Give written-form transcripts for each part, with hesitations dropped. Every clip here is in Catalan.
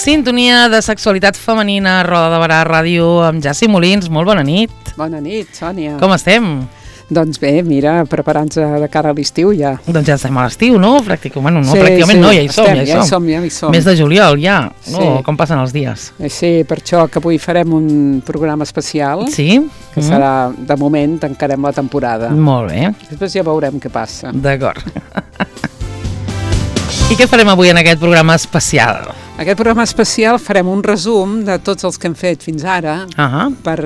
Sintonia de sexualitat femenina, Roda de Barà Ràdio, amb Jassi Molins. Molt bona nit. Bona nit, Sònia. Com estem? Doncs bé, mira, preparant-se de cara a l'estiu ja. Doncs ja estem a l'estiu, no? Pràcticament no, ja hi som. Mes de juliol, ja. No, com passen els dies. Sí, per això que avui farem un programa especial. Sí? Que serà, de moment, tancarem la temporada. Molt bé. Després ja veurem què passa. D'acord. I què farem avui en aquest programa especial? Aquest programa especial farem un resum de tots els que hem fet fins ara, per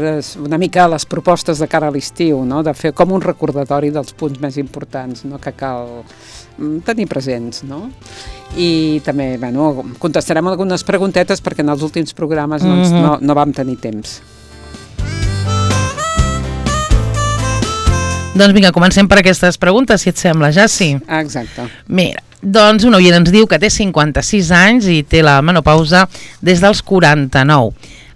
una mica les propostes de cara a l'estiu, no? De fer com un recordatori dels punts més importants, no? Que cal tenir presents, no? I també, bueno, contestarem algunes preguntetes perquè en els últims programes no vam tenir temps. Doncs vinga, comencem per aquestes preguntes, si et sembla, Jassi. Exacte. Mira, doncs un oient ens diu que té 56 anys i té la menopausa des dels 49.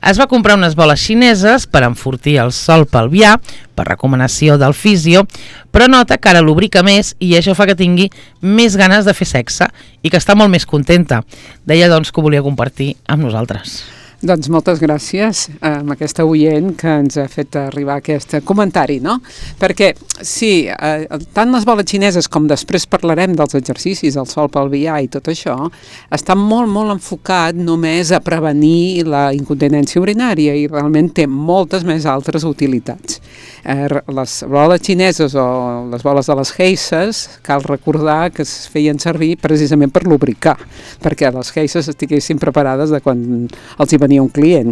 Es va comprar unes boles xineses per enfortir el sòl pelvià, per recomanació del fisio, però nota que ara lubrica més i això fa que tingui més ganes de fer sexe i que està molt més contenta. Deia, doncs, que ho volia compartir amb nosaltres. Doncs moltes gràcies a aquesta oient que ens ha fet arribar aquest comentari, no? Perquè, sí, tant les boles xineses com després parlarem dels exercicis, el sòl pelvià i tot això, està molt, molt enfocat només a prevenir la incontinència urinària i realment té moltes més altres utilitats. Les boles xineses o les boles de les geisses, cal recordar que es feien servir precisament per lubricar, perquè les geisses estiguessin preparades de quan els hi venia un client.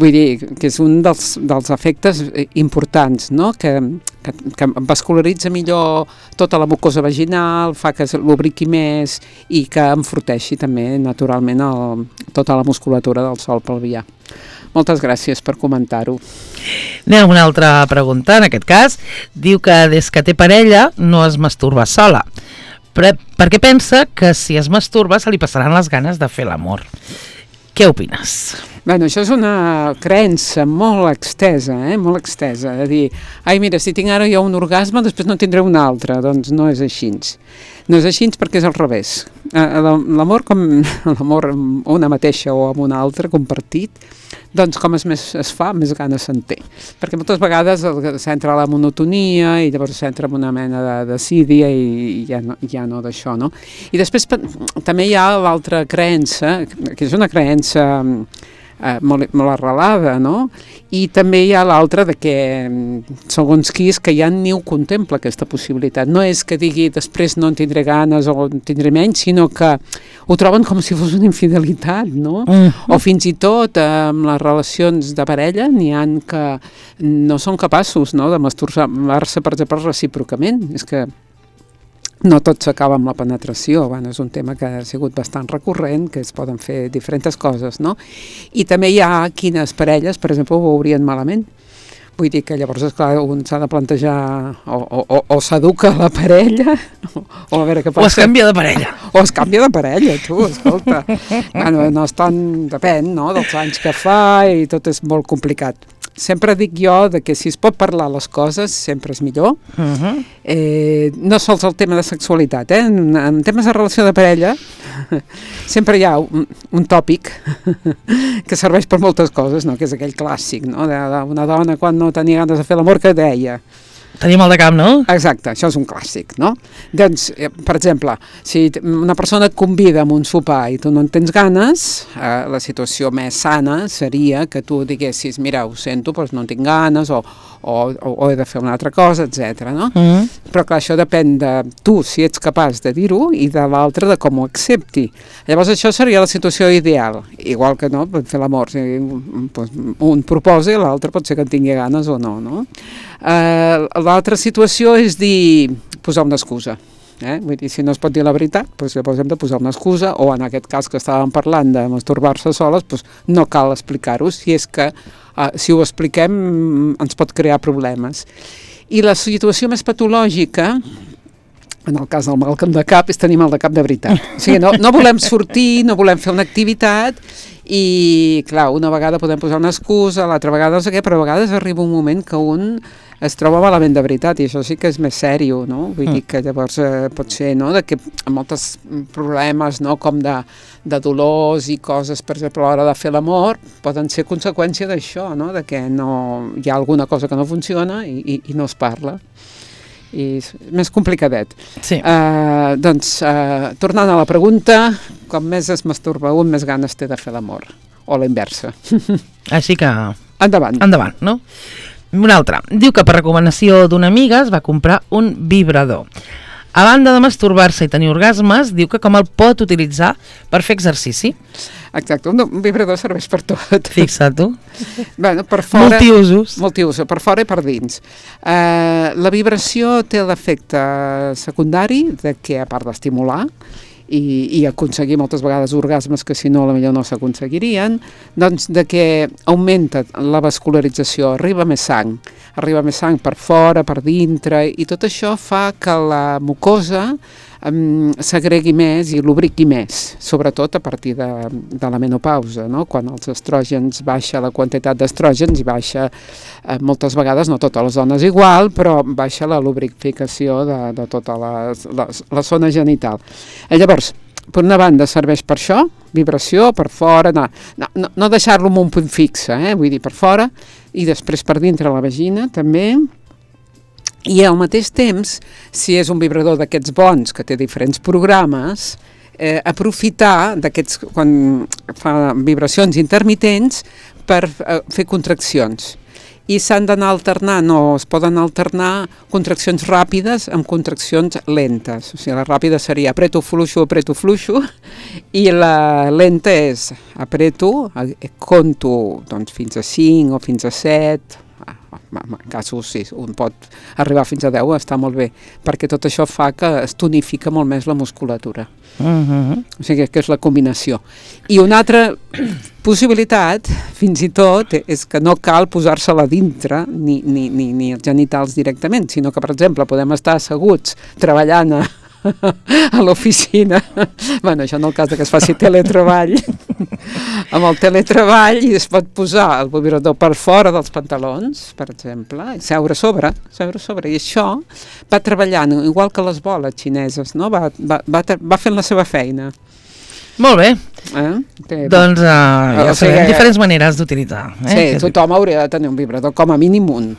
Vull dir que és un dels efectes importants, no? Que vascularitza millor tota la mucosa vaginal, fa que es lubriqui més i que enforteixi també naturalment tota la musculatura del sòl pelvià. Moltes gràcies per comentar-ho. Anem a una altra pregunta, en aquest cas. Diu que des que té parella no es masturba sola, perquè pensa que si es masturba se li passaran les ganes de fer l'amor. Què opines? Bueno, això és una creença molt extesa, molt extesa, de dir, ai, mira, si tinc ara jo un orgasme, després no tindré un altre. Doncs no és així. No és així perquè és al revés. L'amor amb una mateixa o amb una altra compartit, doncs com es fa, més ganes se'n té. Perquè moltes vegades s'entra a la monotonia i llavors s'entra en una mena de desídia i ja no d'això, no? I després també hi ha l'altra creença, que és una creença molt arrelada, no? I també hi ha l'altra de que, segons qui és, que ja ni ho contempla aquesta possibilitat. No és que digui després no en tindré ganes o en tindré menys, sinó que ho troben com si fos una infidelitat, no? O fins i tot amb les relacions de parella n'hi ha que no són capaços, no?, de masturbar-se, per exemple, recíprocament. És que no tot s'acaba amb la penetració, és un tema que ha sigut bastant recurrent, que es poden fer diferents coses, no? I també hi ha quines parelles, per exemple, ho veurien malament. Vull dir que llavors, esclar, un s'ha de plantejar o s'educa la parella o a veure què passa. O es canvia de parella. O es canvia de parella, tu, escolta. Bueno, no és tant, depèn, no?, dels anys que fa i tot és molt complicat. Sempre dic jo que si es pot parlar les coses sempre és millor. No sols el tema de sexualitat, en temes de relació de parella sempre hi ha un tòpic que serveix per moltes coses, no? Que és aquell clàssic, no? Una dona quan no tenia ganes de fer l'amor, que deia? Tenia mal de cap, no? Exacte, això és un clàssic, no? Doncs, per exemple, si una persona et convida a un sopar i tu no en tens ganes, la situació més sana seria que tu diguessis, mira, ho sento, doncs no en tinc ganes, o he de fer una altra cosa, etc. No? Però clar, això depèn de tu, si ets capaç de dir-ho, i de l'altre de com ho accepti. Llavors això seria la situació ideal, igual que no, per fer l'amor, un proposa i l'altre pot ser que en tingui ganes o no, no? L'altra situació és dir, posar una excusa. Vull dir, si no es pot dir la veritat, doncs llavors hem de posar una excusa, o en aquest cas que estàvem parlant de masturbar-se soles, doncs no cal explicar-ho, si és que si ho expliquem ens pot crear problemes. I la situació més patològica, en el cas del mal de cap, és tenir mal de cap de veritat. O sigui, no volem sortir, no volem fer una activitat i, clar, una vegada podem posar una excusa, l'altra vegada no sé què, però a vegades arriba un moment que un es troba malament de veritat, i això sí que és més sèrio, no? Vull dir que llavors pot ser, no?, de que molts problemes, no?, com de dolors i coses, per exemple, a l'hora de fer l'amor, poden ser conseqüència d'això, no?, de que no, hi ha alguna cosa que no funciona i no es parla. I és més complicadet. Sí. Doncs, tornant a la pregunta, com més es masturba un, més ganes té de fer l'amor, o la inversa. Així que... Endavant, no? Una altra. Diu que per recomanació d'una amiga es va comprar un vibrador. A banda de masturbar-se i tenir orgasmes, diu que com el pot utilitzar per fer exercici. Exacte, un vibrador serveix per tot. Fixa't tu. Bueno, per fora, multiusos, per fora i per dins. La vibració té l'efecte secundari de que, a part d'estimular i aconseguir moltes vegades orgasmes que si no potser no s'aconseguirien, doncs de que augmenta la vascularització, arriba més sang per fora, per dintre, i tot això fa que la mucosa s'agregui més i lubriqui més, sobretot a partir de la menopausa, no? Quan els estrògens baixa, la quantitat d'estrògens i baixa moltes vegades, no totes les dones igual, però baixa la lubrificació de tota la zona genital. Llavors, per una banda serveix per això, vibració, per fora, no deixar-lo en un punt fixe, vull dir, per fora, i després per dintre la vagina també. I al mateix temps, si és un vibrador d'aquests bons, que té diferents programes, aprofitar d'aquests, quan fa vibracions intermitents, per fer contraccions. I s'han d'anar alternant, o es poden alternar contraccions ràpides amb contraccions lentes. O sigui, la ràpida seria apreto, fluixo, i la lenta és apreto, conto doncs, fins a 5 o fins a 7, en casos sí, un pot arribar fins a 10, està molt bé, perquè tot això fa que es tonifica molt més la musculatura. O sigui que és la combinació. I una altra possibilitat, fins i tot, és que no cal posar-se-la dintre ni els genitals directament, sinó que, per exemple, podem estar asseguts treballant a l'oficina, bueno, això en el cas que es faci teletreball, amb el teletreball, i es pot posar el vibrador per fora dels pantalons, per exemple, i seure sobre, i això va treballant, igual que les boles xineses, no? Va fent la seva feina. Molt bé. Doncs ja sabem diferents maneres d'utilitzar. Sí, tothom hauria de tenir un vibrador, com a mínim un.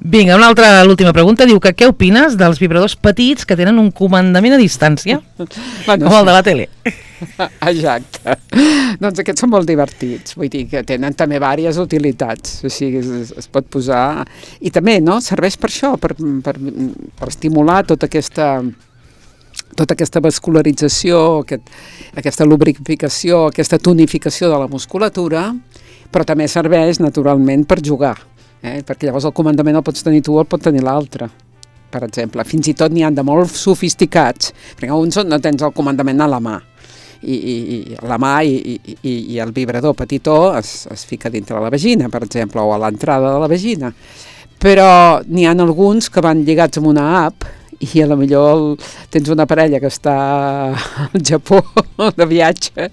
Vinga, l'última pregunta diu que què opines dels vibradors petits que tenen un comandament a distància, com el de la tele? Exacte. Doncs aquests són molt divertits, vull dir que tenen també diverses utilitats, o sigui, es pot posar... I també, no?, serveix per això, per estimular tota aquesta vascularització, aquesta lubrificació, aquesta tonificació de la musculatura, però també serveix, naturalment, per jugar. Perquè llavors el comandament el pots tenir tu o el pot tenir l'altre, per exemple. Fins i tot n'hi ha de molt sofisticats, perquè uns no tens el comandament a la mà, i la mà i el vibrador petitó es fica dintre de la vagina, per exemple, o a l'entrada de la vagina. Però n'hi ha alguns que van lligats amb una app, i a lo millor tens una parella que està al Japó de viatge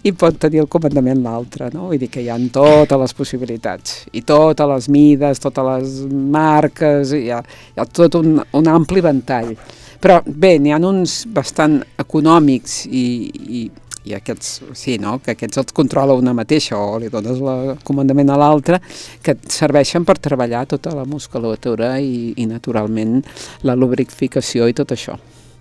i pot tenir el comandament l'altre, no? Vull dir que hi ha totes les possibilitats, i totes les mides, totes les marques, hi ha tot un ampli ventall. Però bé, n'hi ha uns bastant econòmics i aquests, sí, no?, que aquests els controla una mateixa o li dones el comandament a l'altra, que et serveixen per treballar tota la musculatura i naturalment la lubrificació i tot això.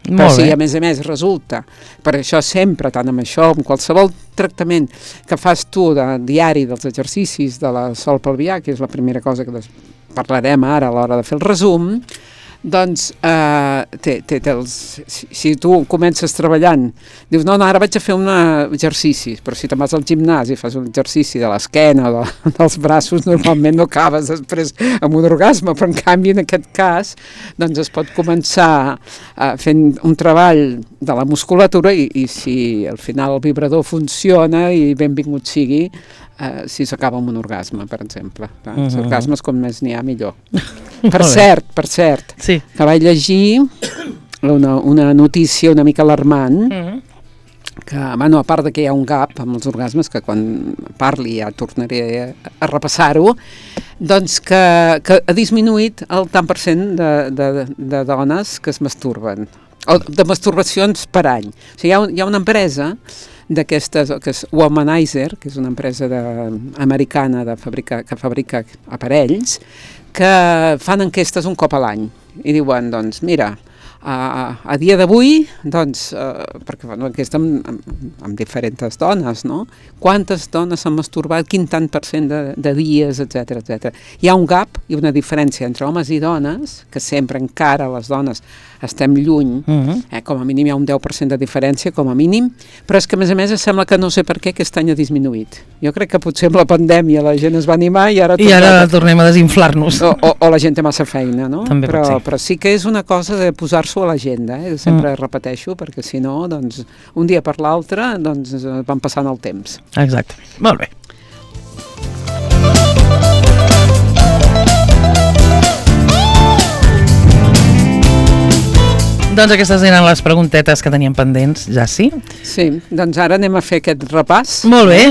Però sí, a més resulta, per això sempre, tant amb això, amb qualsevol tractament que fas tu de diari dels exercicis de la sol pelvià, que és la primera cosa que parlarem ara a l'hora de fer el resum, doncs si tu comences treballant, dius no, ara vaig a fer un exercici, però si te'n vas al gimnàs i fas un exercici de l'esquena o dels braços, normalment no acabes després amb un orgasme, però en canvi en aquest cas doncs es pot començar fent un treball de la musculatura i si al final el vibrador funciona i benvingut sigui, si s'acaba amb un orgasme, per exemple. Els orgasmes, com més n'hi ha, millor. Per cert, sí, que vaig llegir una notícia una mica alarmant, que, bueno, a part de que hi ha un gap amb els orgasmes, que quan parli ja tornaré a repassar-ho, doncs que ha disminuït el tant per cent de dones que es masturben, o de masturbacions per any. O sigui, hi ha una empresa d'aquestes, que és Womanizer, que és una empresa americana que fabrica aparells, que fan enquestes un cop a l'any i diuen, doncs, mira, a dia d'avui, doncs, perquè fan una enquesta amb diferents dones, no? Quantes dones s'han masturbat, quin tant per cent de dies, etc etc. Hi ha un gap i una diferència entre homes i dones, que sempre encara les dones estem lluny, com a mínim hi ha un 10% de diferència, com a mínim, però és que a més sembla que no sé per què aquest any ha disminuït. Jo crec que potser amb la pandèmia la gent es va animar i ara tornem a desinflar-nos. O la gent té massa feina, no? També però sí que és una cosa de posar-s'ho a l'agenda, sempre repeteixo, perquè si no, doncs, un dia per l'altre, doncs, van passant el temps. Exacte. Molt bé. Doncs aquestes eren les preguntetes que teníem pendents, ja sí? Sí, doncs ara anem a fer aquest repàs. Molt bé.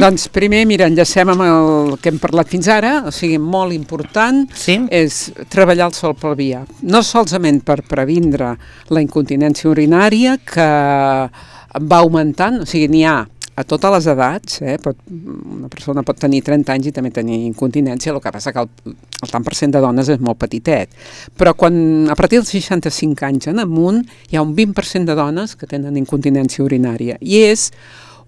Doncs primer, mira, enllacem amb el que hem parlat fins ara, o sigui, molt important, és treballar el sòl pelvià. No solament per previndre la incontinència urinària, que va augmentant, o sigui, n'hi ha a totes les edats, una persona pot tenir 30 anys i també tenir incontinència, el que passa que el tant per cent de dones és molt petitet, però a partir dels 65 anys en amunt hi ha un 20% de dones que tenen incontinència urinària, i és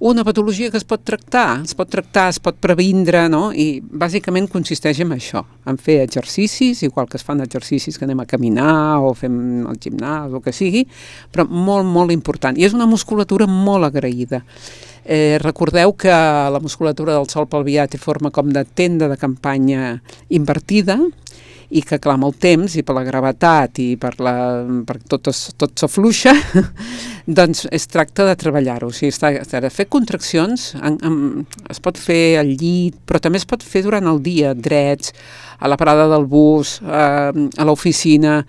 una patologia que es pot tractar, es pot previndre, no? I bàsicament consisteix en això, en fer exercicis, igual que es fan exercicis que anem a caminar o fem el gimnàs o el que sigui, però molt, molt important. I és una musculatura molt agraïda. Recordeu que la musculatura del sòl pelvià té forma com de tenda de campanya invertida, i que, clar, amb el temps i per la gravetat i perquè tot s'afluixa, doncs es tracta de treballar-ho. O sigui, de fer contraccions, es pot fer al llit, però també es pot fer durant el dia, drets, a la parada del bus, a l'oficina,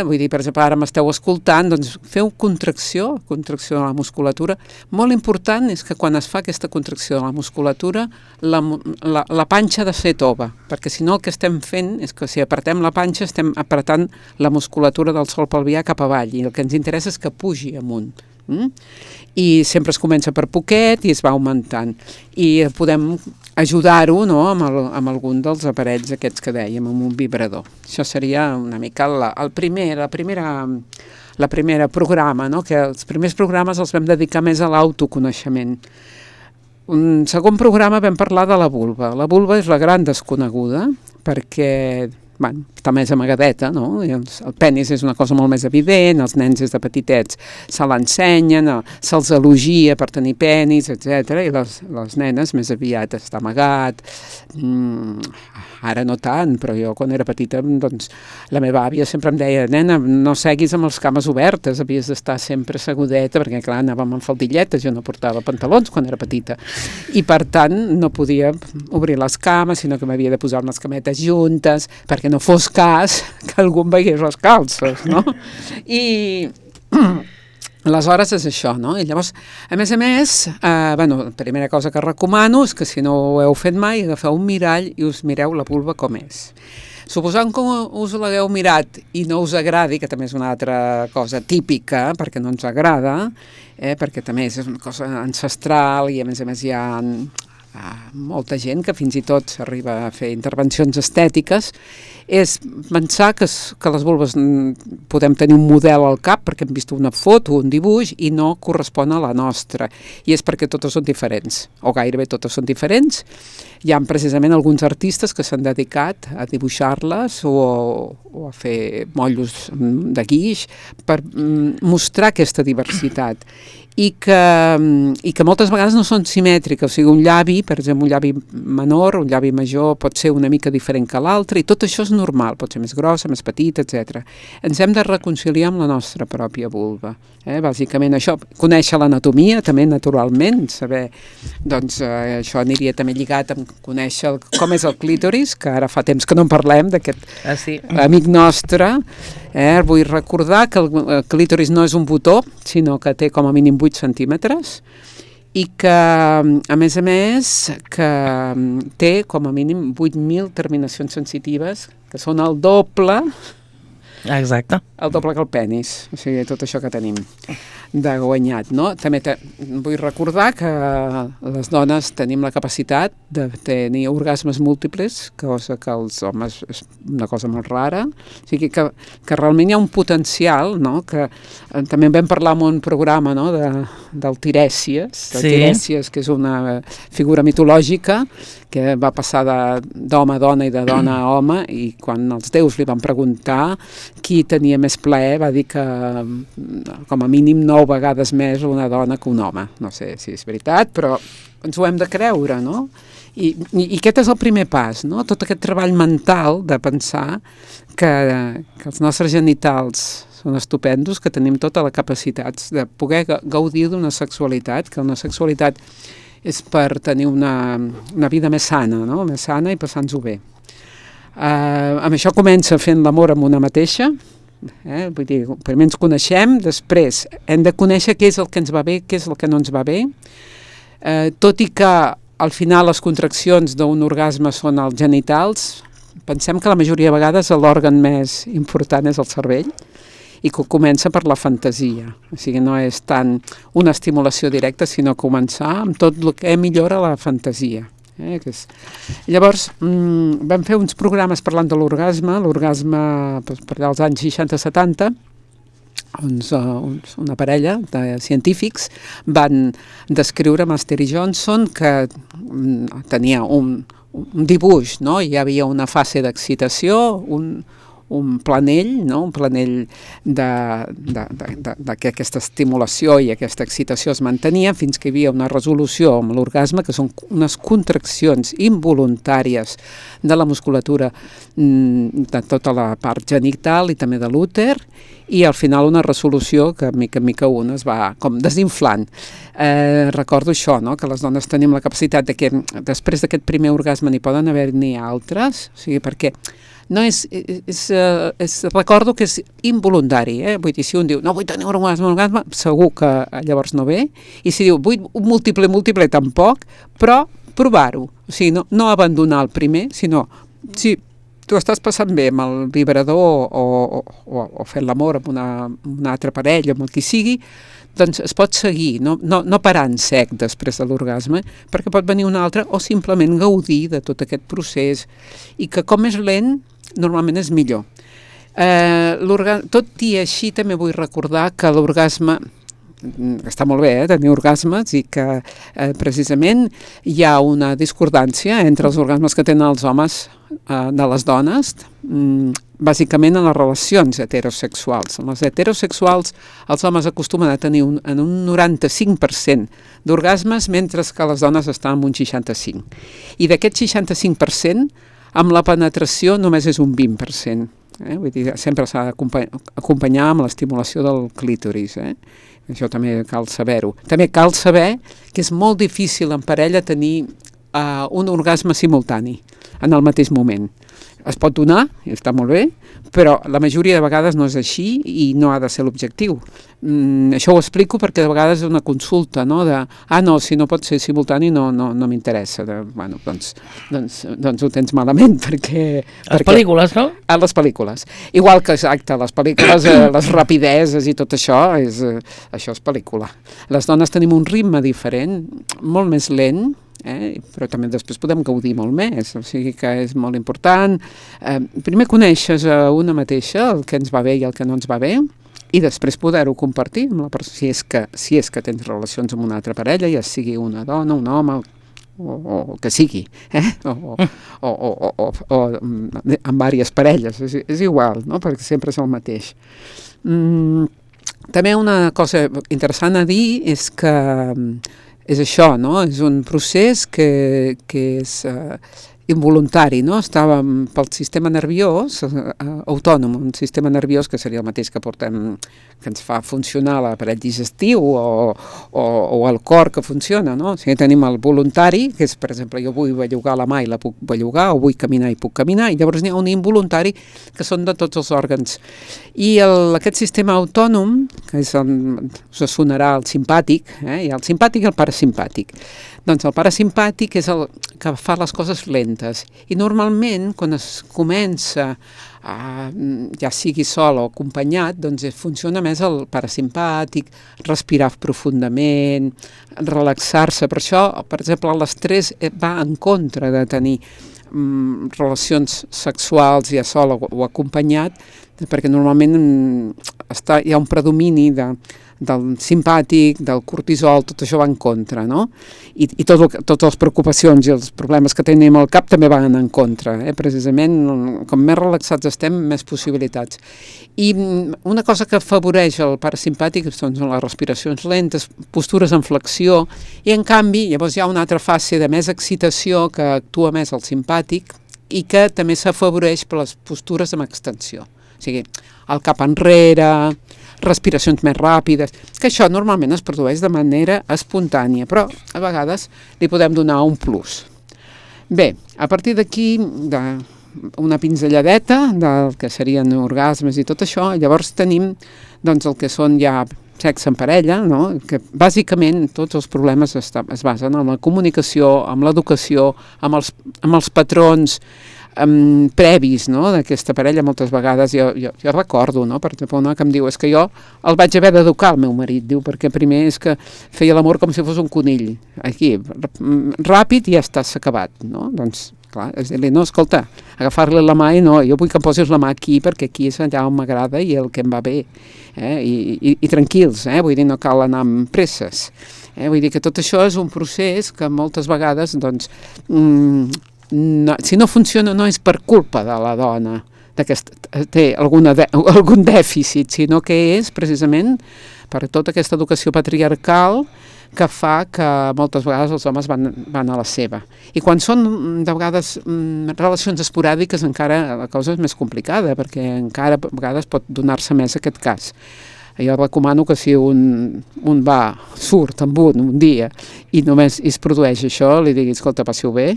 vull dir, per exemple, ara m'esteu escoltant, doncs feu contracció de la musculatura. Molt important és que quan es fa aquesta contracció de la musculatura, la panxa ha de ser tova, perquè si no el que estem fent és que si apretem la panxa estem apretant la musculatura del sòl pelvià cap avall, i el que ens interessa és que pugi amunt. I sempre es comença per poquet i es va augmentant, i podem ajudar-ho, no?, amb algun dels aparells aquests que dèiem, amb un vibrador. Això seria una mica la primera programa, no?, que els primers programes els vam dedicar més a l'autoconeixement. Un segon programa vam parlar de la vulva. La vulva és la gran desconeguda perquè està més amagadeta, no? El penis és una cosa molt més evident, els nens des de petitets se l'ensenyen, se'ls elogia per tenir penis, etc. I les nenes més aviat està amagat, ara no tant, però jo quan era petita, doncs, la meva àvia sempre em deia, nena, no seguis amb les cames obertes, havies d'estar sempre segudeta, perquè clar, anàvem amb faldilletes, jo no portava pantalons quan era petita, i per tant no podia obrir les cames, sinó que m'havia de posar unes cametes juntes, perquè no fos cas que algú em veiés les calces, no? I aleshores és això, no? I llavors, a més, la primera cosa que recomano és que si no ho heu fet mai, agafeu un mirall i us mireu la vulva com és. Suposant que us l'hagueu mirat i no us agradi, que també és una altra cosa típica, perquè no ens agrada, perquè també és una cosa ancestral i a més hi ha molta gent que fins i tot s'arriba a fer intervencions estètiques, és pensar que les vulves podem tenir un model al cap perquè hem vist una foto, un dibuix, i no correspon a la nostra. I és perquè totes són diferents, o gairebé totes són diferents. Hi ha precisament alguns artistes que s'han dedicat a dibuixar-les o a fer motllos de guix per mostrar aquesta diversitat. I que moltes vegades no són simètriques, o sigui, un llavi, per exemple, un llavi menor, un llavi major pot ser una mica diferent que l'altre, i tot això és normal, pot ser més grossa, més petita, etc. Ens hem de reconciliar amb la nostra pròpia vulva. Bàsicament això, conèixer l'anatomia també naturalment, saber, doncs això aniria també lligat amb conèixer com és el clítoris, que ara fa temps que no en parlem d'aquest amic nostre. Vull recordar que el clítoris no és un botó, sinó que té com a mínim 8 centímetres, i que, a més, que té com a mínim 8.000 terminacions sensitives, que són el doble Exacte. El doble que el penis, o sigui, tot això que tenim de guanyat, no? També vull recordar que les dones tenim la capacitat de tenir orgasmes múltiples, cosa que els homes és una cosa molt rara, o sigui que realment hi ha un potencial, no? Que també vam parlar en un programa, no? Del Tirèsies, Tirèsies, que és una figura mitològica que va passar d'home a dona i de dona a home, i quan els déus li van preguntar qui tenia més plaer, va dir que com a mínim 9 vegades més una dona que un home. No sé si és veritat, però ens ho hem de creure, no? I aquest és el primer pas, no? Tot aquest treball mental de pensar que els nostres genitals són estupendos, que tenim tota la capacitat de poder gaudir d'una sexualitat, que una sexualitat és per tenir una vida més sana, no? Més sana i passar-nos-ho bé. Amb això comença fent l'amor amb una mateixa, vull dir, primer ens coneixem, després hem de conèixer què és el que ens va bé, què és el que no ens va bé, tot i que al final les contraccions d'un orgasme són els genitals, pensem que la majoria de vegades l'òrgan més important és el cervell, i que comença per la fantasia. O sigui, no és tant una estimulació directa, sinó començar amb tot el que millora la fantasia. Llavors, vam fer uns programes parlant de l'orgasme per allà als anys 60-70, una parella de científics van descriure Master i Johnson que tenia un dibuix, no? Hi havia una fase d'excitació, un planell, no? Un planell de que aquesta estimulació i aquesta excitació es mantenia fins que hi havia una resolució amb l'orgasme, que són unes contraccions involuntàries de la musculatura de tota la part genital i també de l'úter, i al final una resolució que mica en mica una es va com desinflant. Recordo això, no? Que les dones tenim la capacitat de que després d'aquest primer orgasme n'hi poden haver-n'hi altres, o sigui, perquè no recordo que és involuntari, vull dir, si un diu no vull tenir un orgasme, segur que llavors no ve, i si diu vull un múltiple tampoc, però provar-ho, o sigui, no abandonar el primer, sinó si tu estàs passant bé amb el vibrador o fent l'amor amb una altra parella, amb el qui sigui, doncs es pot seguir, no parar en sec després de l'orgasme, perquè pot venir un altre, o simplement gaudir de tot aquest procés, i que com és lent, normalment és millor. Tot i així també vull recordar que l'orgasme, està molt bé tenir orgasmes, i que precisament hi ha una discordància entre els orgasmes que tenen els homes de les dones, bàsicament en les relacions heterosexuals. En les heterosexuals els homes acostumen a tenir un 95% d'orgasmes, mentre que les dones estan en un 65%. I d'aquest 65%, amb la penetració només és un 20%. Vull dir, sempre s'ha d'acompanyar amb l'estimulació del clítoris. Això també cal saber-ho. També cal saber que és molt difícil en parella tenir un orgasme simultani en el mateix moment. Es pot donar, i està molt bé, però la majoria de vegades no és així i no ha de ser l'objectiu. Això ho explico perquè de vegades és una consulta, no? No, si no pot ser simultani no m'interessa. Bueno, doncs ho tens malament, perquè... Les pel·lícules, no? A les pel·lícules. Igual que, exacte, les pel·lícules, les rapideses i tot això és pel·lícula. Les dones tenim un ritme diferent, molt més lent, però també després podem gaudir molt més, o sigui que és molt important. Primer coneixes una mateixa, el que ens va bé i el que no ens va bé, i després poder-ho compartir amb la persona, si és que tens relacions amb una altra parella, ja sigui una dona, un home, o que sigui, o amb diverses parelles, és igual, no? Perquè sempre és el mateix. També una cosa interessant a dir és que és això, no? És un procés que és involuntari, no? Estava pel sistema nerviós autònom, un sistema nerviós que seria el mateix que portem, que ens fa funcionar l'aparell digestiu o el cor que funciona, no? O sigui, tenim el voluntari, que és, per exemple, jo vull bellugar la mà i la puc bellugar, o vull caminar i puc caminar, i llavors n'hi ha un involuntari que són de tots els òrgans. I aquest sistema autònom, que us sonarà el simpàtic, hi ha el simpàtic i el parasimpàtic. Doncs el parasimpàtic és el que fa les coses lentes i normalment quan es comença ja sigui sol o acompanyat, doncs funciona més el parasimpàtic, respirar profundament, relaxar-se. Per això, per exemple, l'estrès va en contra de tenir relacions sexuals ja sol o acompanyat, perquè normalment hi ha un predomini del simpàtic, del cortisol, tot això va en contra, no? I totes les preocupacions i els problemes que tenim al cap també van en contra, precisament, com més relaxats estem, més possibilitats. I una cosa que afavoreix el parasimpàtic són les respiracions lentes, postures en flexió, i en canvi llavors hi ha una altra fase de més excitació que actua més el simpàtic i que també s'afavoreix per les postures amb extensió. O sigui, el cap enrere, respiracions més ràpides, que això normalment es produeix de manera espontània, però a vegades li podem donar un plus. Bé, a partir d'aquí, una pinzelladeta del que serien orgasmes i tot això, llavors tenim doncs, el que són ja sexe en parella, no? Que bàsicament tots els problemes es basen en la comunicació, en l'educació, amb els patrons previs, no? D'aquesta parella. Moltes vegades jo recordo, no? Per exemple, una que em diu, és que jo el vaig haver d'educar el meu marit, diu, perquè primer és que feia l'amor com si fos un conill, aquí, ràpid i ja està, s'ha acabat, no? Doncs, clar, és dir-li, no, escolta, agafar-li la mà i no, jo vull que em posis la mà aquí perquè aquí és allà on m'agrada i el que em va bé, i tranquils, vull dir, no cal anar amb presses, vull dir que tot això és un procés que moltes vegades, doncs, no, si no funciona no és per culpa de la dona que té algun dèficit, sinó que és precisament per tota aquesta educació patriarcal que fa que moltes vegades els homes van a la seva. I quan són de vegades relacions esporàdiques encara la cosa és més complicada, perquè encara a vegades pot donar-se més aquest cas. Jo recomano que si un surt amb un dia i només es produeix això, li digui, escolta, passi-ho bé,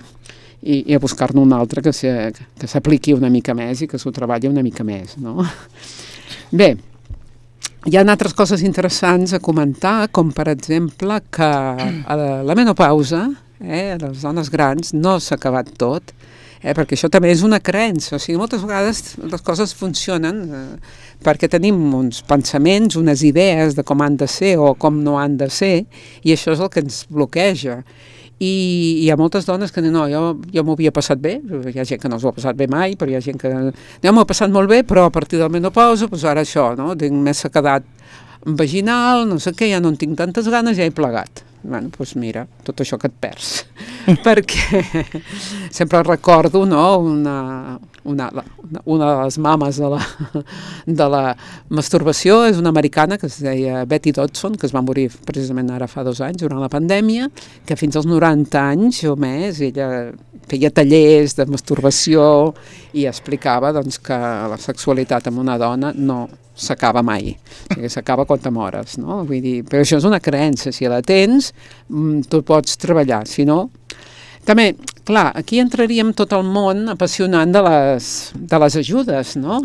i a buscar-ne un altre que s'apliqui una mica més i que s'ho treballi una mica més, no? Bé, hi ha altres coses interessants a comentar, com per exemple que la menopausa, les dones grans, no s'ha acabat tot, perquè això també és una creença. O sigui, moltes vegades les coses funcionen perquè tenim uns pensaments, unes idees de com han de ser o com no han de ser, i això és el que ens bloqueja. I hi ha moltes dones que diuen, no, jo m'ho havia passat bé, hi ha gent que no s'ho ha passat bé mai, però hi ha gent que jo m'ho he passat molt bé, però a partir del menopausa, doncs ara això, no? Tinc més sequedat vaginal, no sé què, ja no en tinc tantes ganes, ja he plegat. Bueno, doncs mira, tot això que et perds. Perquè sempre recordo, no, una de les mames de la masturbació és una americana que es deia Betty Dodson, que es va morir precisament ara fa 2 anys, durant la pandèmia, que fins als 90 anys o més ella feia tallers de masturbació i explicava doncs, que la sexualitat amb una dona no s'acaba mai, perquè s'acaba quan te mores, no? Vull dir, però això és una creença, si la tens, tu pots treballar, si no... També, clar, aquí entraríem tot el món apassionant de les ajudes, no?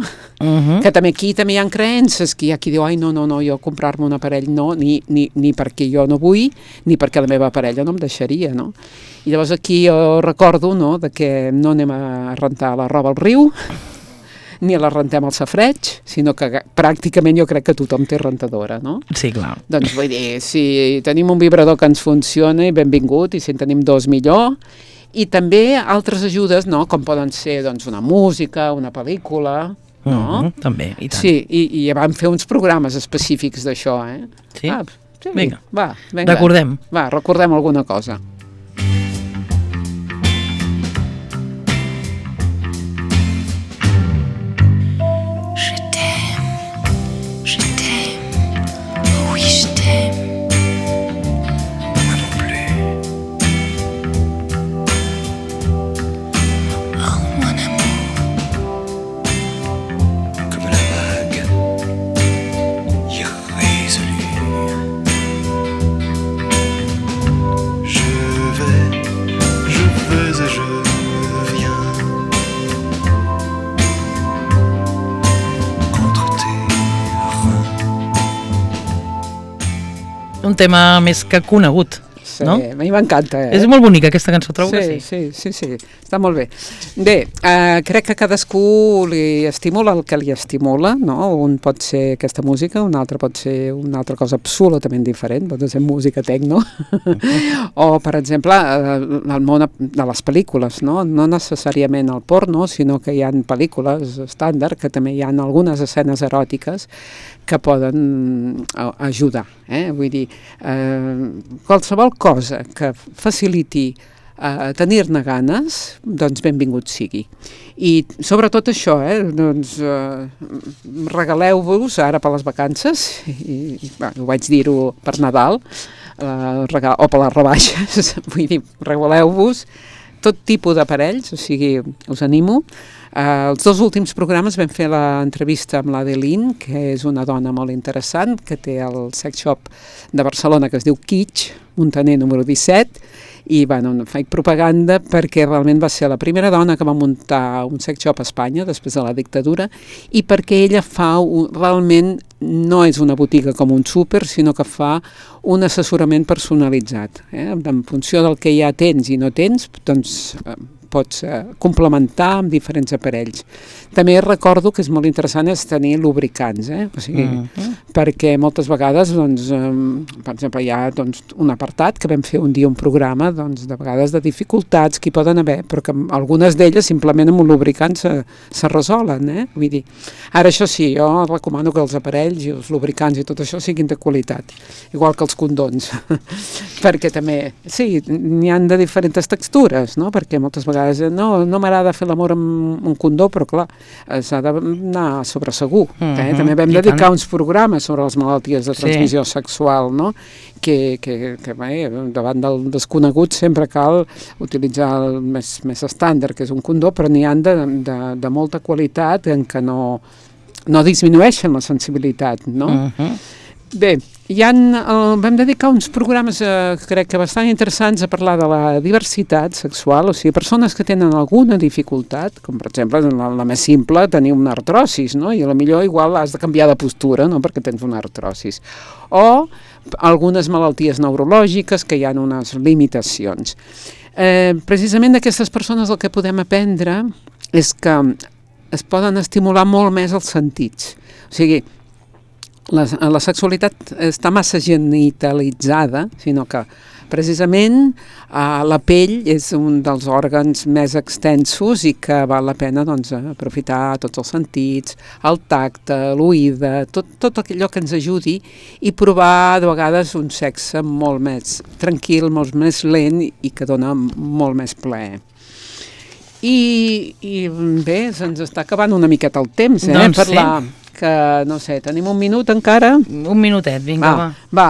Que també aquí també hi ha creences, que hi ha qui diu, ai, no, jo comprar-me un aparell no, ni perquè jo no vull, ni perquè la meva parella no em deixaria, no? I llavors aquí jo recordo, no?, de que no anem a rentar la roba al riu, ni la rentem al safareig, sinó que pràcticament jo crec que tothom té rentadora, no? Sí, clar. Doncs vull dir, si tenim un vibrador que ens funciona, benvingut, i si en tenim 2 millor, i també altres ajudes, no?, com poden ser doncs, una música, una pel·lícula, no? També, i tant. Sí, i ja vam fer uns programes específics d'això, Sí? Sí? Vinga. Va, recordem. Va, recordem alguna cosa. un tema més que conegut. Sí, no? a mi m'encanta. És molt bonica aquesta cançó, trobo que sí. Sí, està molt bé. Bé, crec que cadascú li estimula el que li estimula, no? Un pot ser aquesta música, un altre pot ser una altra cosa absolutament diferent, pot ser música tecno, o, per exemple, el món de les pel·lícules, no? No necessàriament el porno, sinó que hi ha pel·lícules estàndard, que també hi ha algunes escenes eròtiques que poden ajudar. Vull dir, qualsevol cosa que faciliti tenir-ne ganes, doncs benvingut sigui. I sobretot això, doncs regaleu-vos ara per les vacances, ho vaig dir-ho per Nadal, o per les rebaixes, vull dir, regaleu-vos tot tipus d'aparells, o sigui, us animo. Els 2 últims programes vam fer l'entrevista amb l'Adeline, que és una dona molt interessant, que té el sex shop de Barcelona que es diu Kitsch, Montaner número 17, i bueno, faig propaganda perquè realment va ser la primera dona que va muntar un sex shop a Espanya després de la dictadura, i perquè ella fa realment, no és una botiga com un súper, sinó que fa un assessorament personalitzat. En funció del que ja tens i no tens, doncs pots complementar amb diferents aparells. També recordo que és molt interessant és tenir lubricants, o sigui, perquè moltes vegades, doncs, per exemple, hi ha doncs, un apartat que vam fer un dia un programa, doncs, de vegades de dificultats que hi poden haver, però que algunes d'elles simplement amb un lubricant se resolen, Vull dir, ara això sí, jo recomano que els aparells i els lubricants i tot això siguin de qualitat, igual que els condons, perquè també, sí, n'hi han de diferents textures, no? Perquè moltes vegades no m'agrada fer l'amor amb un condó, però clar, s'ha d'anar sobre segur. També vam dedicar uns programes sobre les malalties de transmissió sexual, no? Que bé, davant del desconegut sempre cal utilitzar el més estàndard, que és un condó, però n'hi ha de molta qualitat en què no disminueixen la sensibilitat, no? Bé, vam dedicar uns programes, crec que bastant interessants, a parlar de la diversitat sexual, o sigui, persones que tenen alguna dificultat, com per exemple, la més simple, tenir una artrosis, no? I potser igual has de canviar de postura, no?, perquè tens una artrosis. O algunes malalties neurològiques que hi ha unes limitacions. Precisament d'aquestes persones el que podem aprendre és que es poden estimular molt més els sentits. O sigui, la sexualitat està massa genitalitzada, sinó que precisament la pell és un dels òrgans més extensos i que val la pena doncs, aprofitar tots els sentits, el tacte, l'oïda, tot allò que ens ajudi i provar de vegades un sexe molt més tranquil, molt més lent i que dona molt més plaer. I bé, se'ns està acabant una miqueta el temps, doncs parlar... que, no sé, tenim un minut encara? Un minutet, vinga, va.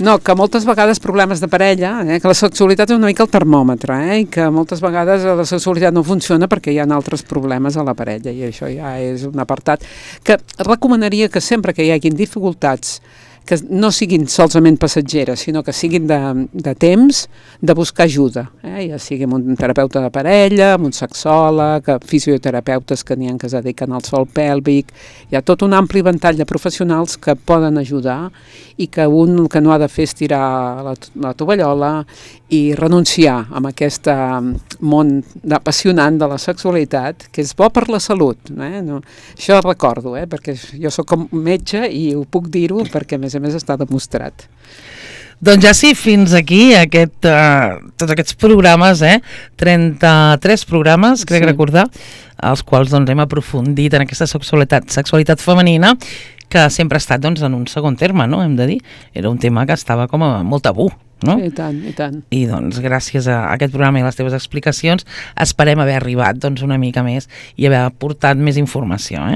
No, que moltes vegades problemes de parella, que la sexualitat és una mica el termòmetre, i que moltes vegades la sexualitat no funciona perquè hi ha altres problemes a la parella, i això ja és un apartat que recomanaria que sempre que hi hagin dificultats que no siguin solament passatgeres, sinó que siguin de temps, de buscar ajuda. Ja sigui amb un terapeuta de parella, amb un sexòleg, fisioterapeutes que n'hi ha que es dediquen al sòl pèlvic. Hi ha tot un ampli ventall de professionals que poden ajudar i que un el que no ha de fer és tirar la tovallola i renunciar a aquest món apassionant de la sexualitat, que és bo per la salut. No, això recordo, perquè jo sóc com metge i ho puc dir-ho perquè a més està demostrat. Doncs ja sí, fins aquí tots aquests programes, 33 programes, crec recordar, els quals doncs, hem aprofundit en aquesta sexualitat femenina, que sempre ha estat doncs, en un segon terme, no? Hem de dir. Era un tema que estava com a molt tabú. No? I tant, i tant. I doncs gràcies a aquest programa i a les teves explicacions esperem haver arribat doncs, una mica més i haver aportat més informació.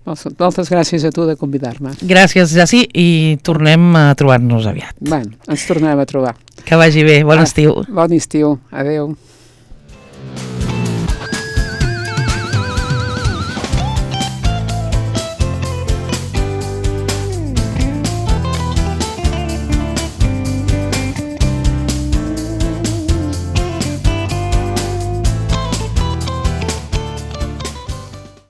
Moltes gràcies a tu de convidar-me. Gràcies, Jaci, i tornem a trobar-nos aviat. Ens tornem a trobar. Que vagi bé, bon estiu. Bon estiu, adeu.